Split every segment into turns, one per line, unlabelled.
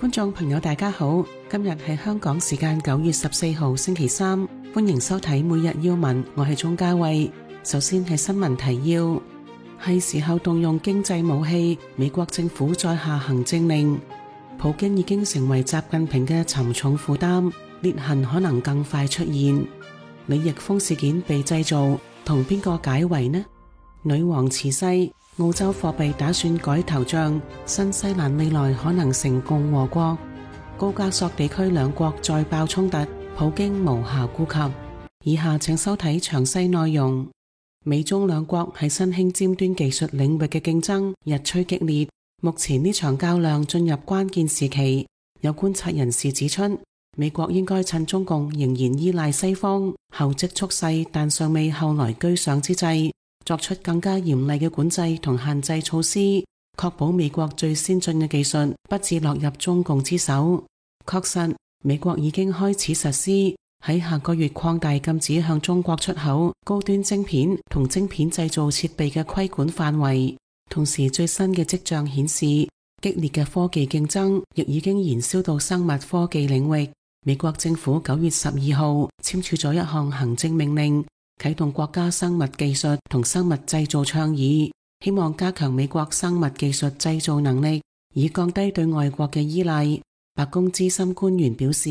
觀眾朋友大家好，今日係香港時間9月14號星期三，歡迎收睇每日要聞，我係鍾嘉慧。首先係新聞提要，係時候動用經濟武器，美國政府再下行政令，普京已經成為習近平嘅沉重負擔，裂痕可能更快出現。李易峰事件被製造，同邊個解圍呢？女王辭世，澳洲貨幣打算改頭像，新西蘭未來可能成共和國。高加索地區兩國再爆衝突，普京無暇顧及。以下請收睇詳細內容。美中兩國喺新興尖端技術領域嘅競爭日趨激烈，目前呢場較量進入關鍵時期。有觀察人士指出，美國應該趁中共仍然依賴西方，後積蓄勢但尚未後來居上之際，作出更加嚴厲嘅管制同限制措施，確保美國最先進嘅技術不致落入中共之手。確實，美國已經開始實施喺下個月擴大禁止向中國出口高端晶片同晶片製造設備嘅規管範圍。同時，最新嘅跡象顯示，激烈嘅科技競爭亦已經延燒到生物科技領域。美國政府9月12號簽署咗一項行政命令，啟動國家生物技術同生物製造倡議，希望加強美國生物技術製造能力，以降低對外國嘅依賴。白宮資深官員表示，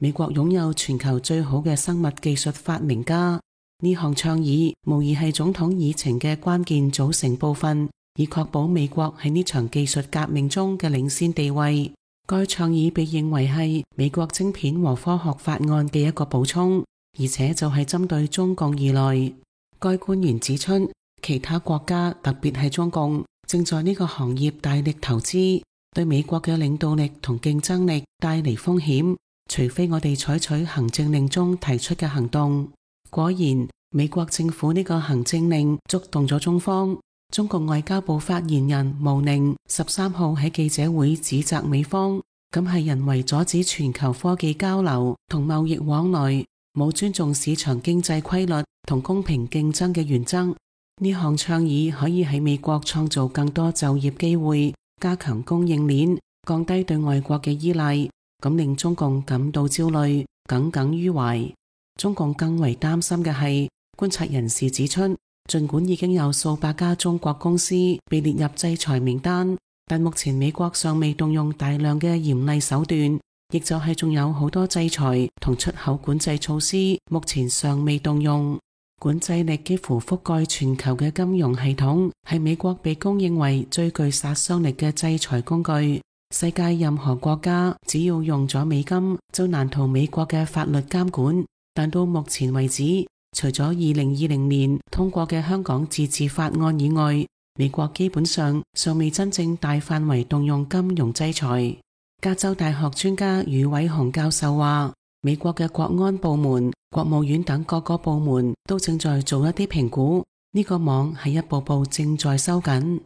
美國擁有全球最好嘅生物技術發明家。呢項倡議無疑係總統議程嘅關鍵組成部分，以確保美國喺呢場技術革命中嘅領先地位。該倡議被認為係美國晶片和科學法案嘅一個補充，而且就係針對中共而來。該官員指出，其他國家特別係中共正在呢個行業大力投資，對美國嘅領導力同競爭力帶嚟風險，除非我哋採取行政令中提出嘅行動。果然，美國政府呢個行政令觸動咗中方。中國外交部發言人毛寧13號喺記者會指責美方咁係人為阻止全球科技交流同貿易往來，冇尊重市場經濟規律同公平競爭嘅原則。呢項倡議可以喺美國創造更多就業機會，加強供應鏈，降低對外國嘅依賴，咁令中共感到焦慮，耿耿於懷。中共更為擔心嘅係，觀察人士指出，儘管已經有數百家中國公司被列入制裁名單，但目前美國尚未動用大量嘅嚴厲手段，亦就係仲有好多制裁同出口管制措施目前尚未動用。管制力幾乎覆蓋全球嘅金融系統，係美國被公認為最具殺傷力嘅制裁工具。世界任何國家只要用咗美金，就難逃美國嘅法律監管。但到目前為止，除咗2020年通過嘅香港自治法案以外，美國基本上尚未真正大範圍動用金融制裁。加州大學專家余偉雄教授話，美國嘅國安部門、國務院等各個部門都正在做一啲評估，呢個網係一步步正在收緊。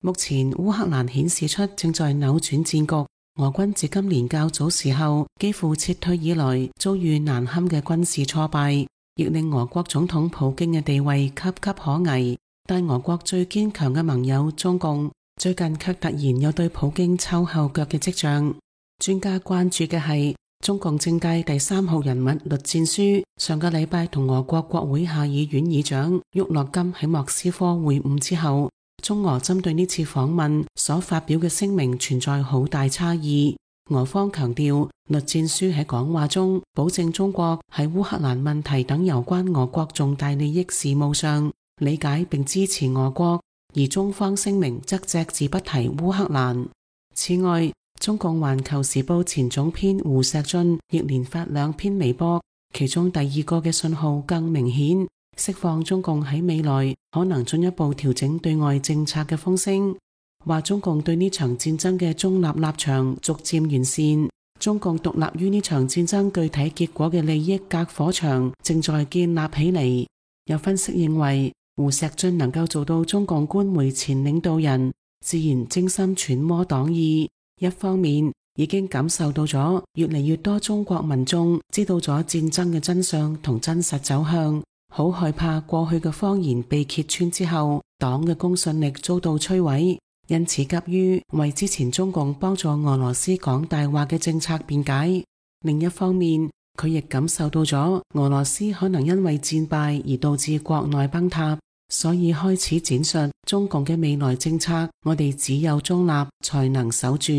目前烏克蘭顯示出正在扭轉戰局。俄軍自今年較早時候幾乎撤退以來遭遇難堪嘅軍事挫敗，亦令俄國總統普京嘅地位岌岌可危。但俄國最堅強嘅盟友中共最近卻突然有對普京抽後腳嘅跡象。專家關注嘅係中共政界第3號人物栗戰書上個禮拜同俄國國會下議院議長沃洛金喺莫斯科會晤之後，中俄針對呢次訪問所發表嘅聲明存在好大差異。俄方強調，栗戰書喺講話中保證中國喺烏克蘭問題等有關俄國重大利益事務上理解並支持俄國，而中方聲明則隻字不提烏克蘭。此外，中共環球時報前總編胡錫進亦連發2篇微博，其中第2個嘅信號更明顯，釋放中共喺未來可能進一步調整對外政策嘅風聲，話中共對呢場戰爭嘅中立立場逐漸完善，中共獨立於呢場戰爭具體結果嘅利益隔火牆正在建立起嚟。有分析認為，胡錫進能夠做到中共官媒前領導人，自然精心揣摩黨意。一方面已經感受到咗越嚟越多中國民眾知道咗戰爭嘅真相同真實走向，好害怕過去嘅謊言被揭穿之後，黨嘅公信力遭到摧毀。因此急於為之前中共幫助俄羅斯講大話嘅政策辯解。另一方面，佢亦感受到咗俄羅斯可能因為戰敗而導致國內崩塌，所以開始展述中共嘅未來政策，我哋只有中立才能守住。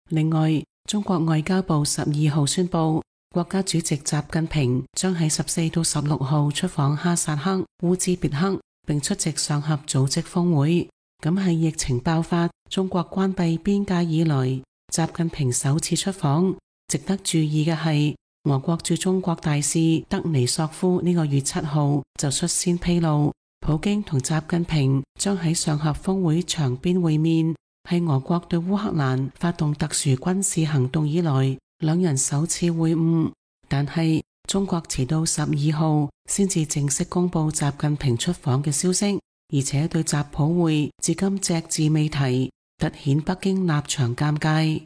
另外，中國外交部12號宣布，國家主席習近平將喺14到16號出訪哈薩克、烏茲別克，並出席上合組織峰會。咁係疫情爆發、中國關閉邊界以來，習近平首次出訪。值得注意嘅係，俄國駐中國大使德尼索夫呢個月7號就率先披露，普京同習近平將喺上合峰會場邊會面，係俄國對烏克蘭發動特殊軍事行動以來兩人首次會晤。但係中國遲到12號先至正式公布習近平出訪嘅消息，而且對習普會至今隻字未提，凸顯北京立場尷尬。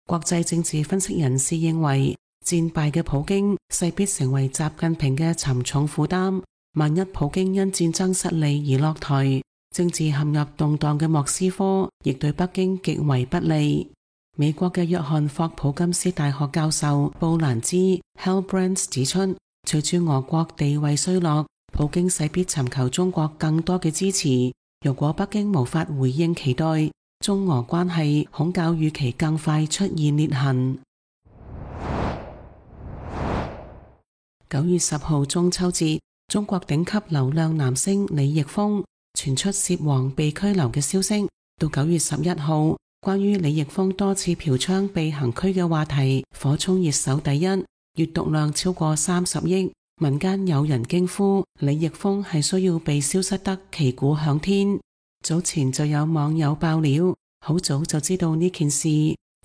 國際政治分析人士認為，戰敗嘅普京勢必成為習近平嘅沉重負擔。萬一普京因戰爭失利而落台，政治陷入動盪嘅莫斯科亦對北京極為不利。美國嘅約翰霍普金斯大學教授布蘭茲 Hellbrands 指出，隨住俄國地位衰落，普京勢必尋求中國更多嘅支持。如果北京無法回應期待，中俄關係恐較預期更快出現裂痕。9月10號中秋節，中國頂級流量男星李易峰傳出涉黃被拘留嘅消息。到9月11號，關於李易峰多次嫖娼被行拘嘅話題火衝熱搜第一，閱讀量超過30億。民間有人驚呼李易峰係需要被消失得旗鼓響天。早前就有網友爆料，好早就知道呢件事，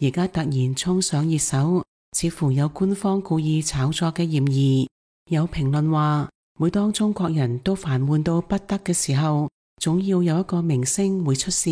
而家突然衝上熱搜，似乎有官方故意炒作嘅嫌疑。有評論話，每當中國人都煩悶到不得嘅時候，總要有一個明星會出事，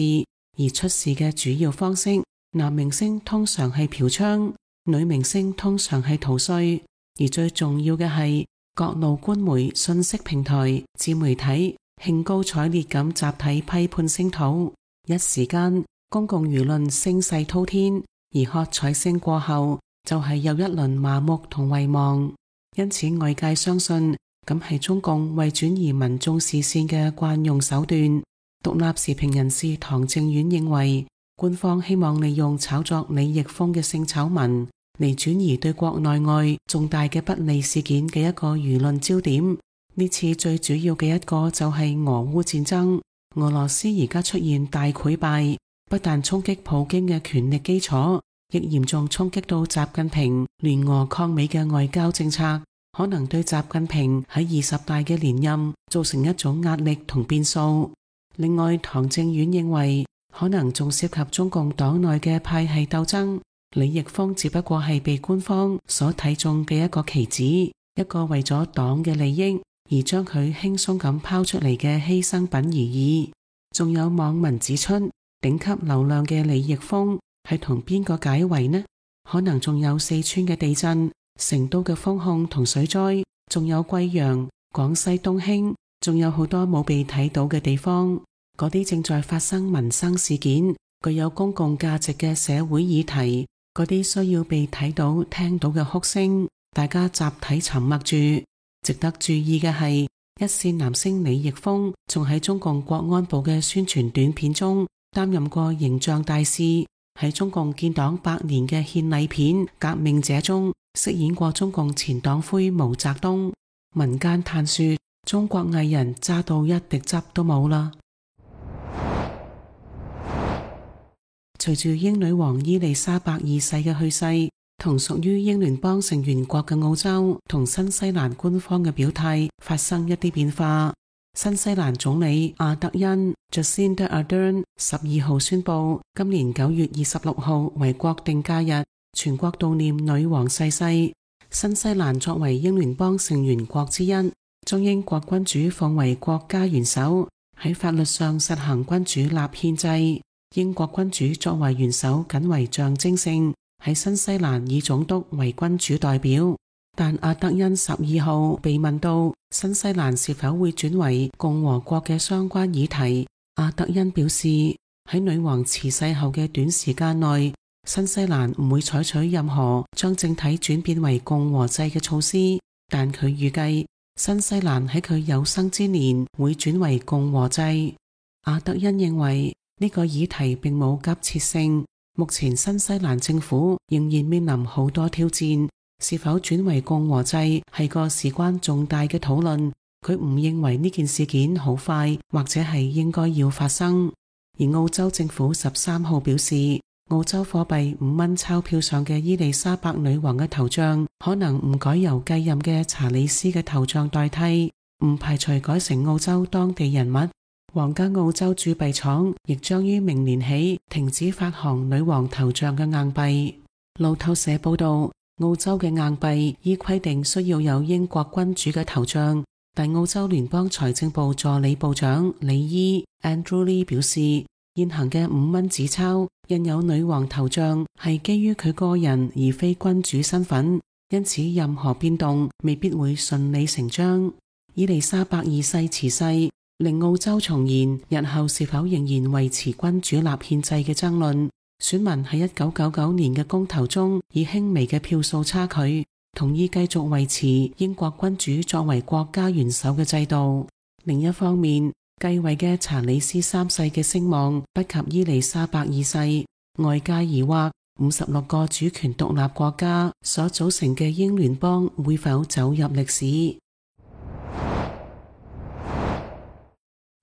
而出事嘅主要方式，男明星通常係嫖娼，女明星通常係逃稅，而最重要嘅係各路官媒、信息平台、自媒體興高采烈咁集體批判聲討，一時間公共輿論聲勢滔天，而喝彩聲過後就係又一輪麻木同遺忘。因此外界相信咁係中共為轉移民眾視線嘅慣用手段。獨立時評人士唐正遠認為，官方希望利用炒作李易峰嘅性醜聞嚟轉移對國內外重大嘅不利事件嘅一個輿論焦點。呢次最主要嘅一個就係俄烏戰爭，俄羅斯而家出現大潰敗，不但衝擊普京嘅權力基礎，亦嚴重衝擊到習近平聯俄抗美嘅外交政策，可能對習近平喺20大嘅連任造成一種壓力同變數。另外，唐正遠認為可能仲涉及中共黨內嘅派系鬥爭，李易峰只不過係被官方所睇中嘅一個棋子，一個為咗黨嘅利益而將佢輕鬆咁拋出嚟嘅犧牲品而已。仲有網民指出，頂級流量嘅李易峰係同邊個解圍呢？可能仲有四川嘅地震、成都嘅封控同水災，仲有貴陽、廣西東興，仲有好多冇被睇到嘅地方。嗰啲正在發生民生事件、具有公共價值嘅社會議題，嗰啲需要被睇到、聽到嘅哭聲，大家集體沉默住。值得注意嘅係，一線男星李易峰仲喺中共國安部嘅宣傳短片中擔任過形象大使，喺中共建黨100年嘅獻禮片《革命者》中飾演過中共前黨魁毛澤東。民間嘆說，中國藝人渣到一滴汁都冇啦。隨住英女王伊麗莎白二世嘅去世，同屬於英聯邦成員國嘅澳洲同新西蘭官方嘅表態發生一啲變化。新西蘭總理阿德恩 Jacinda Ardern 12號宣布，今年9月26號為國定假日，全國悼念女王逝世。新西蘭作為英聯邦成員國之一，將英國君主奉為國家元首，喺法律上實行君主立憲制。英國君主作為元首僅為象徵性，喺新西蘭以總督為君主代表。但阿德恩12號被問到新西蘭是否會轉為共和國嘅相關議題，阿德恩表示，喺女王辭世後嘅短時間內，新西蘭唔會採取任何將政體轉變為共和制嘅措施，但佢預計新西蘭喺佢有生之年會轉為共和制。阿德恩認為呢個議題並冇急切性，目前新西蘭政府仍然面臨好多挑戰，是否轉為共和制係個事關重大嘅討論。佢唔認為呢件事件好快或者係應該要發生。而澳洲政府13號表示，澳洲貨幣5蚊鈔票上嘅伊麗莎白女王嘅頭像可能唔改由繼任嘅查理斯嘅頭像代替，唔排除改成澳洲當地人物。皇家澳洲鑄幣廠亦將於明年起停止發行女王頭像嘅硬幣。路透社報道，澳洲嘅硬幣依規定需要有英國君主嘅頭像，但澳洲聯邦財政部助理部長李伊 Andrew Lee 表示，現行嘅5蚊紙鈔印有女王頭像係基於佢個人而非君主身份，因此任何變動未必會順理成章。伊麗莎白二世辭世，令澳洲重燃日後是否仍然維持君主立憲制嘅爭論。選民喺1999年嘅公投中以輕微嘅票數差距同意繼續維持英國君主作為國家元首嘅制度。另一方面，繼位嘅查理斯3世嘅聲望不及伊麗莎白2世，外界疑惑56個主權獨立國家所組成嘅英聯邦會否走入歷史。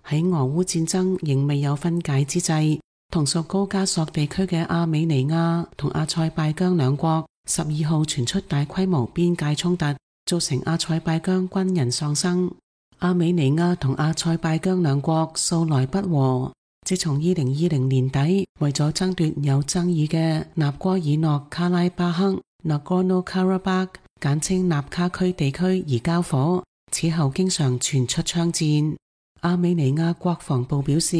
喺俄烏戰爭仍未有分解之際，同屬高加索地區嘅阿美尼亞同阿塞拜疆兩國12號傳出大規模邊界衝突，造成阿塞拜疆軍人喪生。阿美尼亞同阿塞拜疆兩國素來不和，自從2020年底為咗爭奪有爭議嘅納戈爾諾卡拉巴克 （Nagorno-Karabakh） 簡稱納卡區地區而交火，此後經常傳出槍戰。阿美尼亞國防部表示，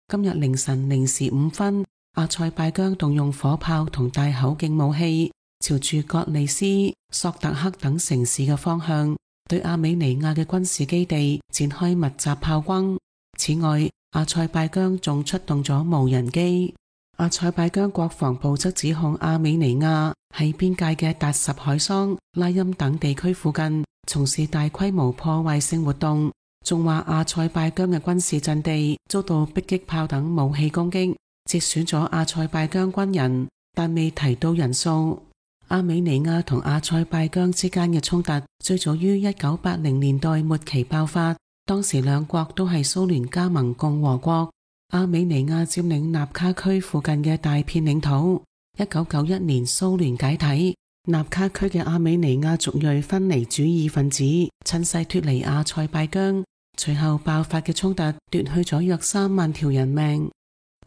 今日凌晨0時5分，阿塞拜疆動用火炮同大口徑武器，朝住格利斯、索特克等城市嘅方向，對阿美尼亞嘅軍事基地展開密集炮轟。此外，阿塞拜疆仲出動咗無人機。阿塞拜疆國防部則指控阿美尼亞喺邊界嘅達什海桑、拉欽等地區附近從事大規模破壞性活動。仲話阿塞拜疆嘅軍事陣地遭到迫擊炮等武器攻擊，折損咗阿塞拜疆軍人，但未提到人數。阿美尼亞同阿塞拜疆之間嘅衝突最早於1980年代末期爆發，當時兩國都係蘇聯加盟共和國。阿美尼亞佔領納卡區附近嘅大片領土。1991年蘇聯解體，納卡區嘅阿美尼亞族裔分離主義分子趁勢脫離阿塞拜疆，隨後爆發嘅衝突奪去咗約3萬條人命。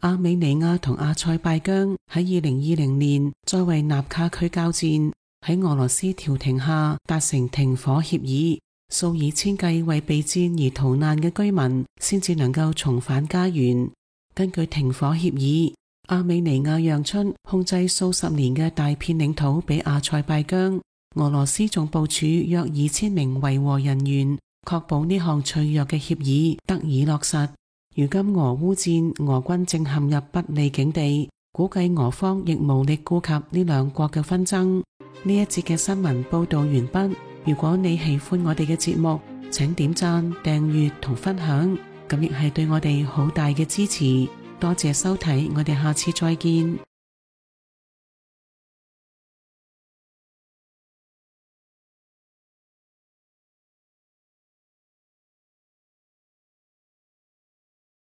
阿美尼亞同阿塞拜疆喺2020年再為納卡區交戰，喺俄羅斯調停下達成停火協議，數以千計為備戰而逃難嘅居民先至能夠重返家園。根據停火協議，阿美尼亞讓出控制數十年嘅大片領土俾阿塞拜疆，俄羅斯仲部署約2000名維和人員，確保呢項脆弱嘅協議得以落實。如今俄烏戰，俄軍正陷入不利境地，估計俄方亦無力顧及呢兩國嘅紛爭。呢一節嘅新聞報道完畢。如果你喜歡我哋嘅節目，請點讚、訂閱同分享，咁亦係對我哋好大嘅支持。多謝收睇，我哋下次再見。